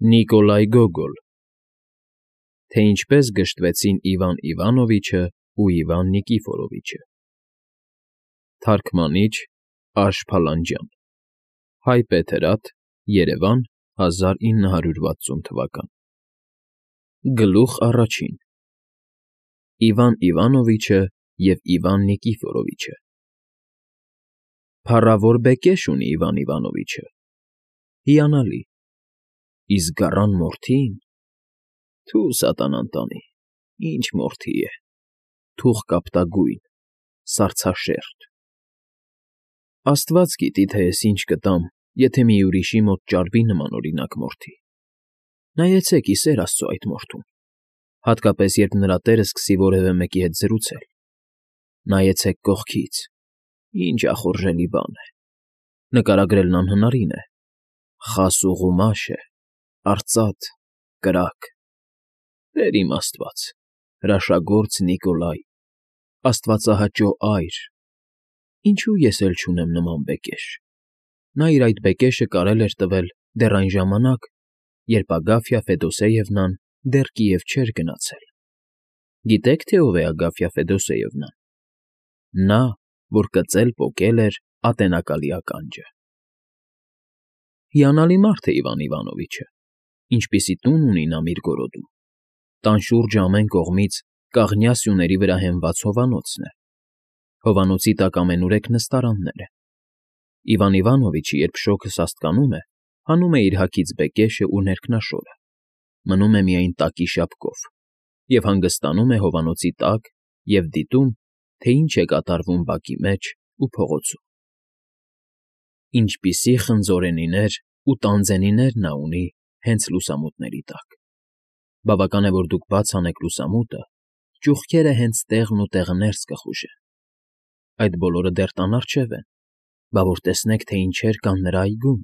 Նիկոլայ Գոգոլ Թե ինչպես գժտվեցին Իվան Իվանովիչը ու Իվան Նիկիֆորովիչը Թարգմանիչ Աշ Փալանջյան Հայ Պետերաթ Երևան 1960 թվական Գլուխ առաջին Իվան Իվանովիչը և Իվան Նիկիֆորովիչը Փառավոր բեկեշ ունի Իվան Իվանովիչը, հիանալի, իսկ գառան մորթին, թու սատանան տանի, ինչ մորթի է, թուղ կապտագույն, սառցաշերտ. Աստված գիտի, թե ես ինչ կտամ, եթե մի ուրիշի մոտ ճարվի նմանօրինակ մորթի. նայեցեք ի սեր Աստծո այդ մորթուն, հատկապես երբ նրա տերը սկսի որևէ մեկի հետ զրուցել, նայեցեք կողքից, ինչ ախորժելի բան է, նկարագրելն անհնարին է, խաս ու ղումաշ է, արծաթ, կրակ, Տեր իմ Աստված, հրաշագործ Նիկոլայ, աստվածահաճո այր, ինչու ես էլ չունեմ նման բեկեշ, նա իր այդ բեկեշը կարել էր տվել դեռ այն ժամանակ, երբ Ագաֆյա Ֆեդոսեևնան դեռ Կիև չէր գնացել. Գիտե՞ք, թե ով է Ագաֆյա Ֆեդոսեևնան, նա, որ կծել պոկել էր ատենակալի ականջը։ Հիանալի մարդ է Իվան Իվանովիչը, ինչպիսի տուն ունի նա Միրգորոդում, տան շուրջը ամեն կողմից կաղնյա սյուների վրա հենված հովանոցն է, հովանոցի տակ ամենուրեք նստարաններ են։ Իվան Իվանովիչը, երբ շոգը սաստկանում է, հանում է իր հագից բեկեշը ու ներքնաշորը, մնում է միայն տակի շապկով և հանգստանում է հովանոցի տակ և դիտում, թե ինչ է կատարվում բակի մեջ ու փողոցում։ Ինչպիսի խնձորենիներ ու տանձենիներ նա ունի հենց լուսամուտների տակ։ Բավական է, որ դուք բաց անեք լուսամուտը, ճուղքերը հենց տեղն ու տեղներս կխուժեն։ Այդ բոլորը դեռ տան առջև են, բա որ տեսնեք, թե ինչեր կան նրա այգում,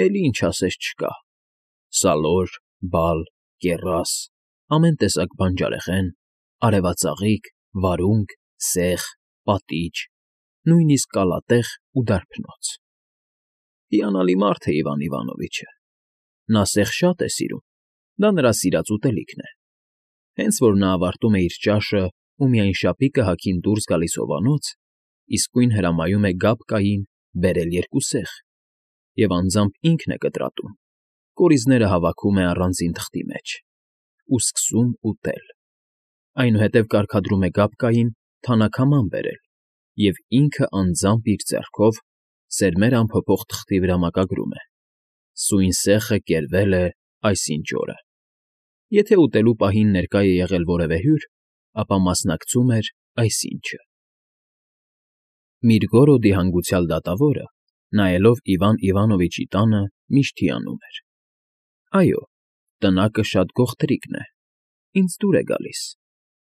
էլի ինչ ասես չկա. սալոր, բալ, կեռաս, ամեն տեսակ բանջարեղեն, արևածաղիկ, վարունգ, սեխ, պատիճ, նույնիսկ կալատեղ ու դարբնոց։ Հիանալի մարդ է Իվան Իվանովիչը, նա սեխ շատ է սիրում, դա նրա սիրած ուտելիքն է։ Հենց որ նա ավարտում է իր ճաշը ու միայն շապիկը հագին դուրս գալիս հովանոց, իսկույն հրամայում է Գաբկային բերել երկու սեխ, և անձամբ ինքն է կտրատում, կորիզները հավաքում է առանձին թղթի մեջ ու սկսում ուտել, այնուհետև կարգադրում է Գաբկային թանաքաման բերել և ինքը անձամբ իր ձեռքով սերմեր ամփոփող թղթի վրա մակագրում է. սույն սեխը կերվել է այսինչ օրը։ Եթե ուտելու պահին ներկա է եղել որևէ հյուր, ապա մասնակցում էր այսինչը։ Միրգորոդի հանգուցյալ դատավորը, նայելով Իվան Իվանովիչի տանը, միշտ հիանում էր. այո, տնակը շատ գողտրիկն է,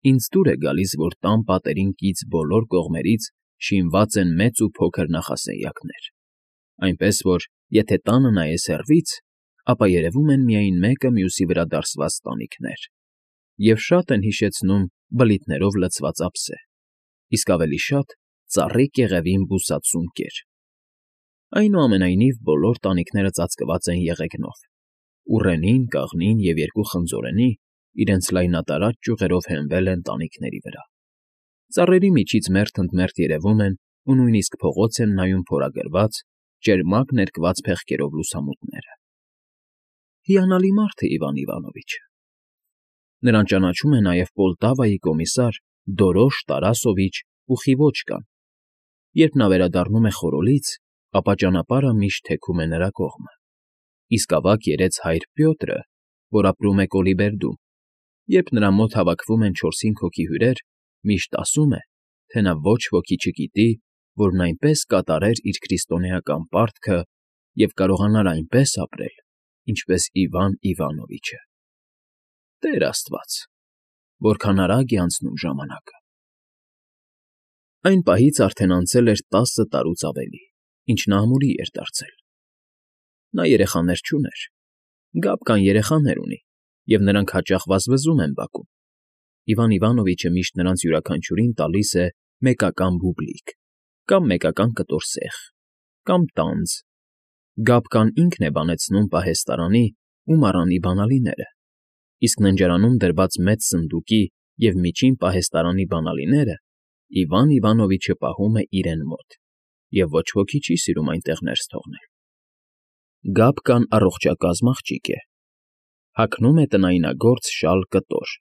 ինձ դուր է գալիս, որ տան պատերին կից բոլոր կողմերից շինված են մեծ ու փոքր նախասենյակներ, այնպես որ, եթե տանը նայես հեռվից, ապա երևում են միայն մեկը մյուսի վրա դարսված տանիքներ, և շատ են հիշեցնում բլիթներով լցված ափսե, իսկ ավելի շատ ծառի կեղևին բուսած սունկեր։ Այնուամենայնիվ, բոլոր տանիքները ծածկված են եղեգնով, ուռենին, կաղնին և երկու խնձորենի իրենց լայնատարած ճյուղերով հենվել են տանիքների վրա։ Ծառերի միջից մերթ ընդ մերթ երևում են ու նույնիսկ փողոց են նայում փորագրված, ճերմակ ներկված փեղկերով լուսամուտները։ Հիանալի մարդ է Իվան Իվանովիչը։ Նրան ճանաչում է նաև Պոլտավայի կոմիսար Դորոշ Տարասովիչ Պուխիվոչկան։ Երբ նա վերադառնում է խորհոլից, ապա ճանապարհը միշտ թեքում է նրա կողմը, իսկ ավագ երեց հայր Պյոտրը, որ ապրում է Կոլիբերդում, երբ նրա մոտ հավաքվում են 4-5 հոգի հյուրեր, միշտ ասում է, թե նա ոչ ոքի չգիտի, որն այնպես կատարեր իր քրիստոնեական պարտքը և կարողանար այնպես ապրել, ինչպես Իվան Իվանովիչը։ Տեր Աստված, որքան արագ է անցնում ժամանակը։ Այն պահից արդեն անցել էր 10 տարուց ավելի, ինչ նա ամուրի էր դարձել։ Նա երեխաներ չուներ, Գաբկան երեխաներ ունի, և նրանք հաճախ վազվզում են բակում։ Իվան Իվանովիչը միշտ նրանց յուրաքանչյուրին տալիս է մեկական բուբլիկ, կամ մեկական կտոր սեխ, կամ տանձ։ Գաբկան ինքն է բանեցնում պահեստարանի ու մառանի բանալիները, իսկ ննջարանում դրված մեծ սնդուկի և միջին պահեստարանի բանալիները Իվան Իվանովիչը պահում է իրեն մոտ և ոչ ոքի չի սիրում այնտեղ ներս թողնել։ Գապկան առողջակազմ աղջիկ է, հագնում է տնայնագործ շալ կտոր,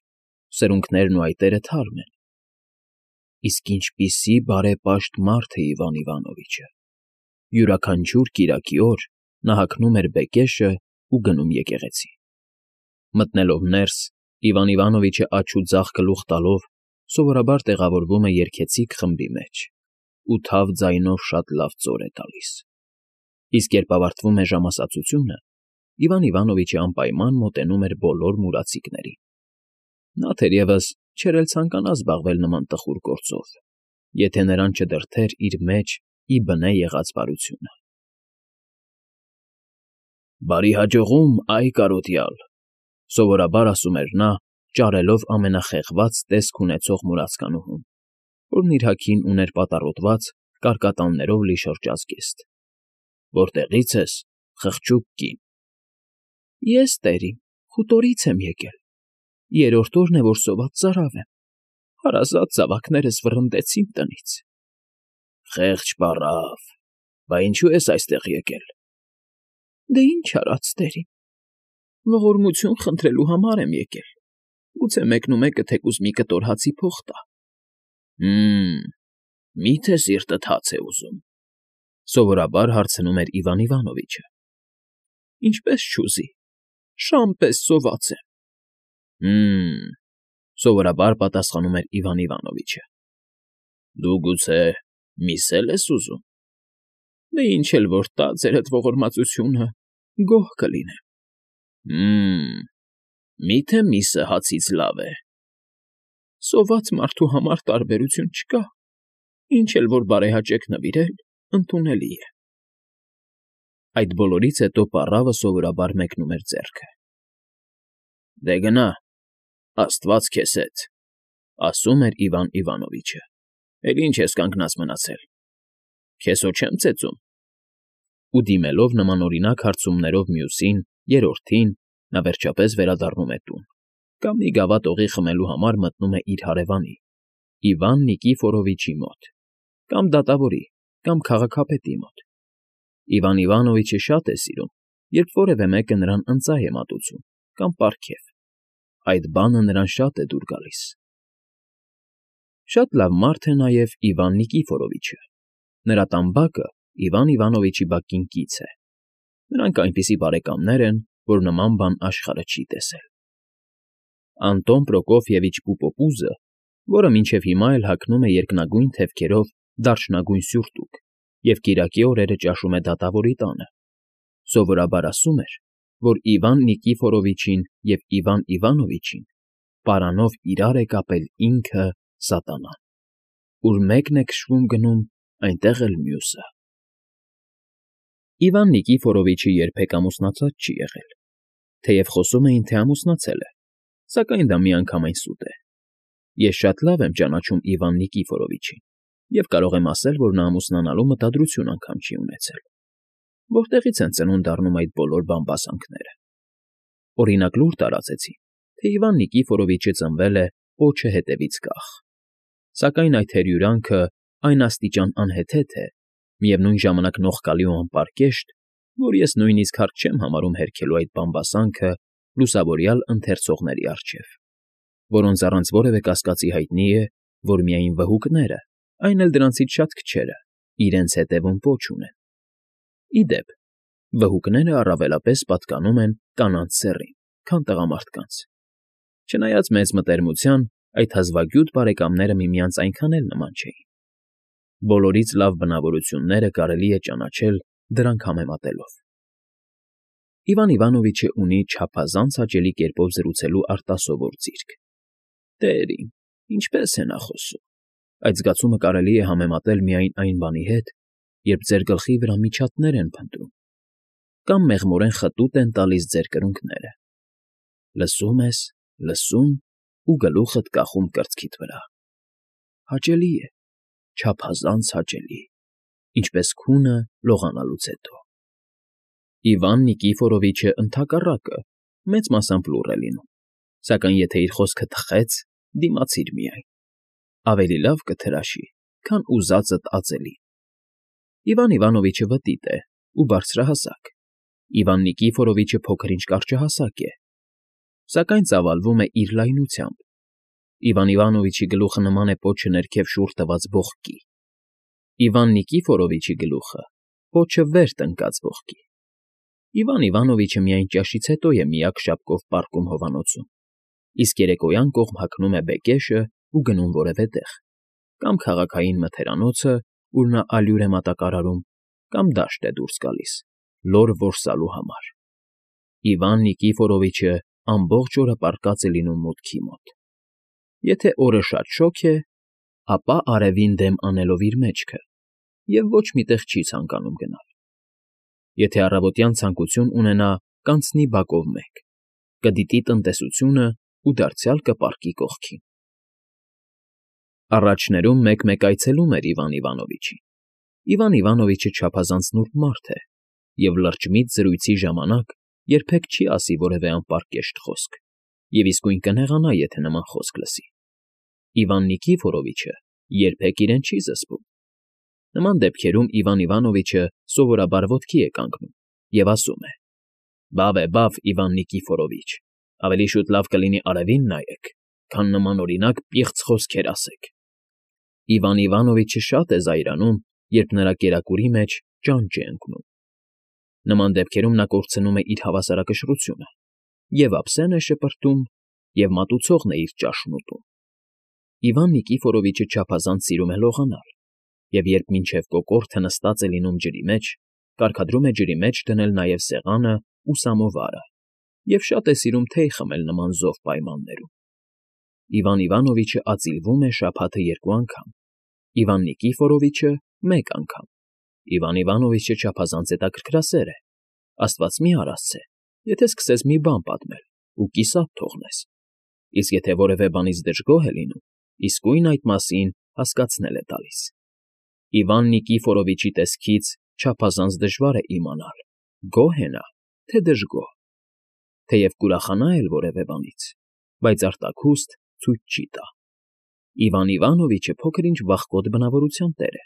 սրունքներն ու այտերը թարմ են։ Իսկ ինչպիսի բարեպաշտ մարդ է Իվան Իվանովիչը։ Յուրաքանչյուր կիրակի օր նա հագնում էր բեկեշը ու գնում եկեղեցի։ Մտնելով ներս, Իվան Իվանովիչը աջ ու ձախ գլուխ տալով սովորաբար տեղավորվում է երգեցիկ խմբի մեջ ու թավ ձայնով շատ լավ ծոր է տալիս։ Իսկ երբ ավարտվում է ժամասացությունը, Իվան Իվանովիչը անպայման մոտենում էր բոլոր մուրացիկներին։ Նա թերևս չէր էլ ցանկանա զբաղվել նման տխուր գործով, եթե նրան չդրդեր իր մեջ ի բնե եղած բարությունը։ «Բարի հաջողում, այ կարոտյալ», սովորաբար ասում էր նա, ճարելով ամենախեղված տեսք ունեցող մուրացկանուհուն, որն իր հագին ուներ պատառոտված, կարկատաններով լի շրջազգեստ։ «Որտեղի՞ց ես, խղճուկ կին»։ «Ես, տերին, խուտորից եմ եկել, երրորդ օրն է, որ սոված ծարավ եմ, հարազատ զավակներս վռնդեցին տնից»։ «Խեղճ պառավ, բա ինչո՞ւ ես այստեղ եկել»։ «Դե ինչ արած, տերին, ողորմություն խնդրելու համար եմ եկել, գուցե մեկնումեկը թեկուզ մի կտոր հացի փող տա»։ Մի՞թե սիրտդ հաց է ուզում, սովորաբար հարցնում էր Իվան Իվանովիչը։ «Ինչպես չուզի, շան պես սոված եմ»։ Սովորաբար պատասխանում էր Իվան Իվանովիչը։ «Դու գուցե միս էլ ես ուզում»։ «Դե ինչ էլ որ տա ձերդ ողորմածությունը, գոհ կլինեմ»։ Մի՞թե միսը հացից լավ է։ «Սոված մարդու համար տարբերություն չկա, ինչ էլ որ բարեհաճեք նվիրել, ընդունելի է»։ Այդ բոլորից հետո պառավը սովորաբար մեկնում էր ձեռքը։ «Դե գնա, աստված քեզ հետ», ասում էր Իվան Իվանովիչը։ «Էլ ինչ ես կանգնած մնացել, քեզ հո չեմ ծեծում»։ Ու դիմելով նմանօրինակ հարցումներով մյուսին, երրորդին, նա վերջապես վերադառնում է տուն, կամ մի գավաթ օղի խմելու համար մտնում է իր հարևանի, Իվան Նիկիֆորովիչի մոտ, կամ դատավորի, կամ քաղաքապետի մոտ։ Իվան Իվանովիչը շատ է սիրում, երբ որևէ մեկը նրան ընծայ է մատուցում կամ պարգև։ Այդ բանը նրան շատ է դուր գալիս։ Շատ լավ մարդ է նաև Իվան Նիկիֆորովիչը։ Նրա տամբակը Իվան Իվանովիչի բակին կից է։ Նրանք այնպիսի բարեկամներ են, որ նման բան աշխարհը չի տեսել։ Անտոն Պրոկոֆիևիչ Պուպոպուզը, որը մինչև հիմա էլ հագնում է երկնագույն թևքերով դարչնագույն սյուրտուկ և կիրակի օրերը ճաշում է դատավորի տանը, սովորաբար ասում էր, որ Իվան Նիկիֆորովիչին և Իվան Իվանովիչին պարանով իրար է կապել ինքը՝ սատանան։ Ուր մեկն է քշվում գնում, այնտեղ էլ մյուսը։ Իվան Նիկիֆորովիչը երբեք ամուսնացած չի եղել, թեև խոսում էին, թե ամուսնացել է, սակայն դա միանգամայն սուտ է։ Ես շատ լավ եմ ճանաչում Իվան Նիկիֆորովիչին և կարող եմ ասել, որ նա ամուսնանալու մտադրություն անգամ չի ունեցել։ Որտեղից են ծնունդ առնում այդ բոլոր բամբասանքները։ Օրինակ, լուր տարածեցին, թե Իվան Նիկիֆորովիչը ծնվել է պոչը հետևից կախ։ Սակայն այդ հերյուրանքը այն աստիճան անհեթեթ է, միևնույն ժամանակ նողկալի ու անպարկեշտ, որ ես նույնիսկ հարկ չեմ համարում հերքելու այդ բամբասանքը լուսավորյալ ընթերցողների առջև, որոնց առանց որևէ կասկածի հայտնի է, որ միայն վհուկները, այն էլ դրանցից շատ քչերը, իրենց հետևում պոչ ունեն։ Ի դեպ, վհուկները առավելապես պատկանում են կանանց սեռին, քան տղամարդկանց։ Չնայած մեծ մտերմության, այդ հազվագյուտ բարեկամները միմյանց այնքան էլ նման չէին։ Բոլորից լավ բնավորությունները կարելի է ճանաչել դրանք համեմատելով։ Իվան Իվանովիչը ունի չափազանց հաճելի կերպով զրուցելու արտասովոր ձիրք։ Տերին, ինչպես է նա խոսում։ Այդ զգացումը կարելի է համեմատել միայն այն բանի հետ, երբ ձեր գլխի վրա միջատներ են փնտրում, կամ մեղմորեն խտուտ են տալիս ձեր կրունկները։ Լսում ես, լսում ու գլուխդ կախում կրծքիդ վրա։ Հաճելի է, չափազանց հաճելի, ինչպես քունը լողանալուց հետո։ Իվան Նիկիֆորովիչը ընդհակառակը մեծ մասամբ լուռ է լինում, սակայն եթե իր խոսքը թխեց, դիմացիր միայն, ավելի լավ կթրաշի, քան ուզածդ ածելի։ Իվան Իվանովիչը վտիտ է ու բարձրահասակ, Իվան Նիկիֆորովիչը փոքր-ինչ կարճահասակ է, սակայն ծավալվում է իր լայնությամբ։ Իվան Իվանովիչի գլուխը նման է պոչը ներքև շուռ տված ողկի, Իվան Նիկիֆորովիչի գլուխը պոչը վեր տնկած ողկի։ Իվան Իվանովիչը միայն ճաշից հետո է միակ շապկով պառկում հովանոցում, իսկ երեկոյան կողմ հագնում է բեկեշը ու գնում որևէ տեղ, կամ քաղաքային մթերանոցը, ուր նա ալյուր է մատակարարում, կամ դաշտ է դուրս գալիս, լոր որսալու համար։ Իվան Նիկիֆորովիչը ամբողջ օրը պառկած է լինում մուտքի մոտ։ Եթե օրը շատ շոգ է, ապա արևին դեմ անելով իր մեջքը և ոչ մի տեղ չի ցանկանում գնալ։ Եթե առավոտյան ցանկություն ունենա, կանցնի բակով մեկ, կդիտի տնտեսությունը ու դարձյալ կպառկի կողքին։ Առաջներում մեկ-մեկ այցելում էր Իվան Իվանովիչին։ Իվան Իվանովիչը չափազանց նուրբ մարդ է և լրջմիտ զրույցի ժամանակ երբեք չի ասի որևէ անպարկեշտ խոսք և իսկույն կնեղանա, եթե նման խոսք լսի։ Իվան Նիկիֆորովիչը երբեք իրեն չի զսպում։ Նման դեպքերում Իվան Իվանովիչը սովորաբար ոտքի է կանգնում և ասում է. «Բավ է, բավ, Իվան Նիկիֆորովիչ, ավելի շուտ լավ կլինի արևին նայեք, քան նման օրինակ պիղծ խոսքեր ասեք»։ Իվան Իվանովիչը շատ է զայրանում, երբ նրա կերակուրի մեջ ճանճ է ընկնում։ Նման դեպքերում նա կորցնում է իր հավասարակշռությունը, և ափսեն է շպրտում, և մատուցողն է իր ճաշն ուտում։ Իվան Նիկիֆորովիչը չափազանց սիրում է լողանալ, և երբ մինչև կոկորդը նստած է լինում ջրի մեջ, կարգադրում է ջրի մեջ դնել նաև սեղանը ու սամովարը և շատ է սիրում թեյ խմել նման զով պայմաններում։ Իվան Իվանովիչը ածիլվում է շաբաթը 2 անգամ, Իվան Նիկիֆորովիչը մեկ անգամ։ Իվան Իվանովիչը չափազանց հետաքրքրասեր է, աստված մի արասցե, եթե սկսես մի բան պատմել ու կիսատ թողնես, իսկ եթե որևէ բանից դժգոհ է լինում, իսկույն այդ մասին հասկացնել է տալիս։ Իվան Նիկիֆորովիչի տեսքից չափազանց դժվար է իմանալ՝ գոհ է նա, թե դժգոհ։ Թեև կուրախանա էլ որևէ բանից, բայց արտաքուստ ցույց չի տա։ Իվան Իվանովիչը փոքր-ինչ վախկոտ բնավորության տեր է։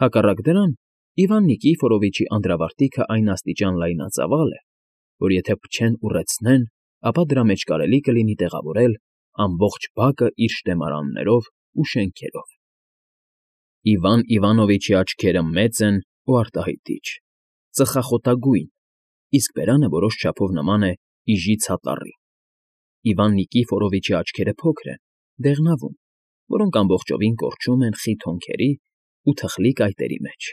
Հակառակ դրան, Իվան Նիկիֆորովիչի անդրավարտիքը այն աստիճան լայնածավալ է, որ եթե փչեն ուռեցնեն, ապա դրա մեջ կարելի կլինի տեղավորել ամբողջ բակը իր շտեմարաններով ու շենքերով։ Իվան Իվանովիչի աչքերը մեծ են ու արտահայտիչ, ծխախոտագույն, իսկ բերանը որոշ չափով նման է իժի ցատառի։ Իվան Նիկիֆորովիչի աչքերը փոքր են, դեղնավուն, որոնք ամբողջովին կորչում են խիտ հոնքերի ու թխլի կայտերի մեջ,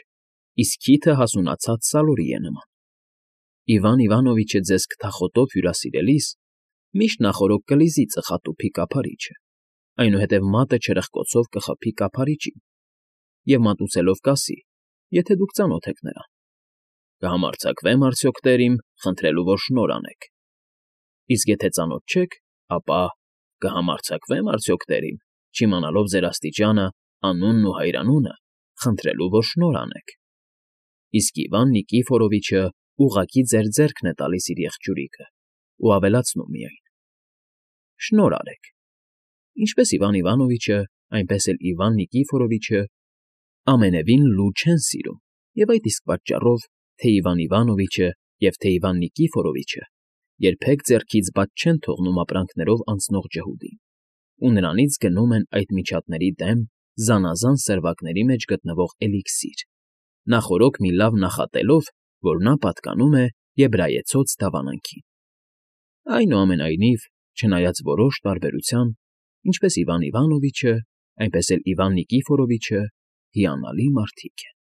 իսկ քիթը հասունացած սալորի է նման։ Իվան Իվանովիչը ձեզ քթախոտով հյուրասիրելիս միշտ նախօրոք կլիզի ծխատուփի կափարիչը, այնուհետև մատը չրպկոցով կխփի կափարիչին և մատուցելով կասի, եթե դուք ծանոթ եք նրան. «Կհամարձակվե՞մ արդյոք, տեր իմ, խնդրելու, որ շնորհ անեք»։ Իսկ եթե ծանոթ չեք, ապա «Կհամարձակվե՞մ արդյոք, տեր իմ, չիմանալով ձեր աստիճանը, անունն ու հայրանունը, խնդրելու, որ շնորհ անեք»։ Իսկ Իվան Նիկիֆորովիչը ուղղակի ձեր ձեռքն է տալիս իր եղջյուրիկը ու ավելացնում միայն. «Շնորհ արեք»։ Ինչպես Իվան Իվանովիչը, այնպես էլ Իվան Նիկիֆորովիչը ամենևին լու չեն սիրում, և այդ իսկ պատճառով թե Իվան Իվանովիչը և թե Իվան Նիկիֆորովիչը երբեք ձեռքից բաց չեն թողնում ապրանքներով անցնող ջհուդին ու նրանից գնում են այդ միջատների դեմ զանազան սերվակների մեջ գտնվող էլիքսիր, նախօրոք մի լավ նախատելով, որ նա պատկանում է եբրայեցոց դավանանքին։ Այնուամենայնիվ, չնայած որոշ տարբերության, ինչպես Իվան Իվանովիչը, այնպես էլ Իվան Նիկիֆորովիչը հիանալի մարդիկ են։